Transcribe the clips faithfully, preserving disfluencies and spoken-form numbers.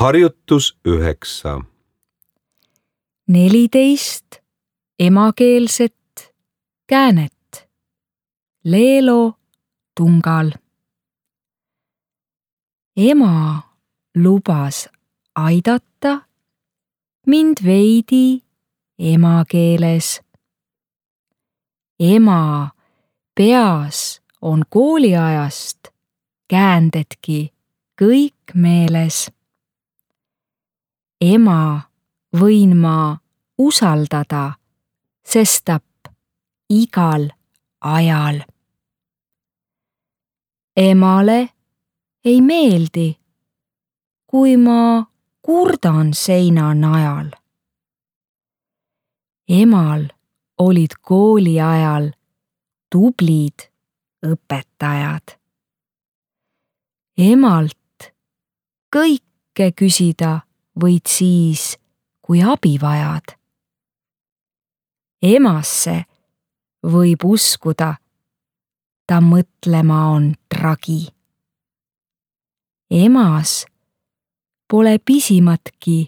Harjutus üheksa. neliteist emakeelset käänet. Leelo tungal. Ema lubas aidata mind veidi emakeeles. Ema peas on kooliajast käändedki kõik meeles. Ema võin ma usaldada, sestap igal ajal. Emale ei meeldi, kui ma kurdan seina najal. Emal olid kooli ajal tublid õpetajad. Emalt kõike küsida võid siis, kui abi vajad. Emasse võib uskuda, ta mõtlema on tragi. Emas pole pisimatki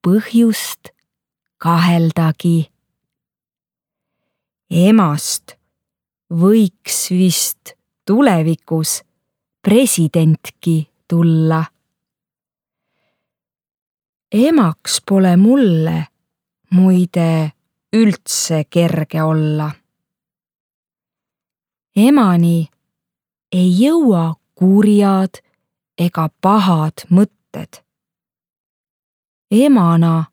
põhjust kaheldagi. Emast võiks vist tulevikus presidentki tulla. Emaks pole mulle muide üldse kerge olla. Emani ei jõua kurjad ega pahad mõtted. Emana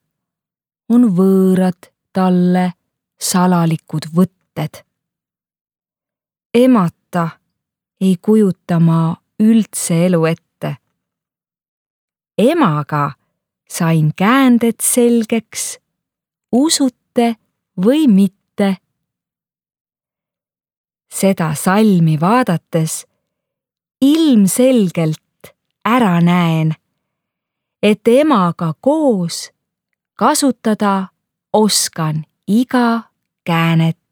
on võõrad talle salalikud võtted. Emata ei kujuta ma üldse elu ette. Emaga sain käänded selgeks, usute või mitte. Seda salmi vaadates ilmselgelt ära näen, et emaga koos kasutada oskan iga käänet.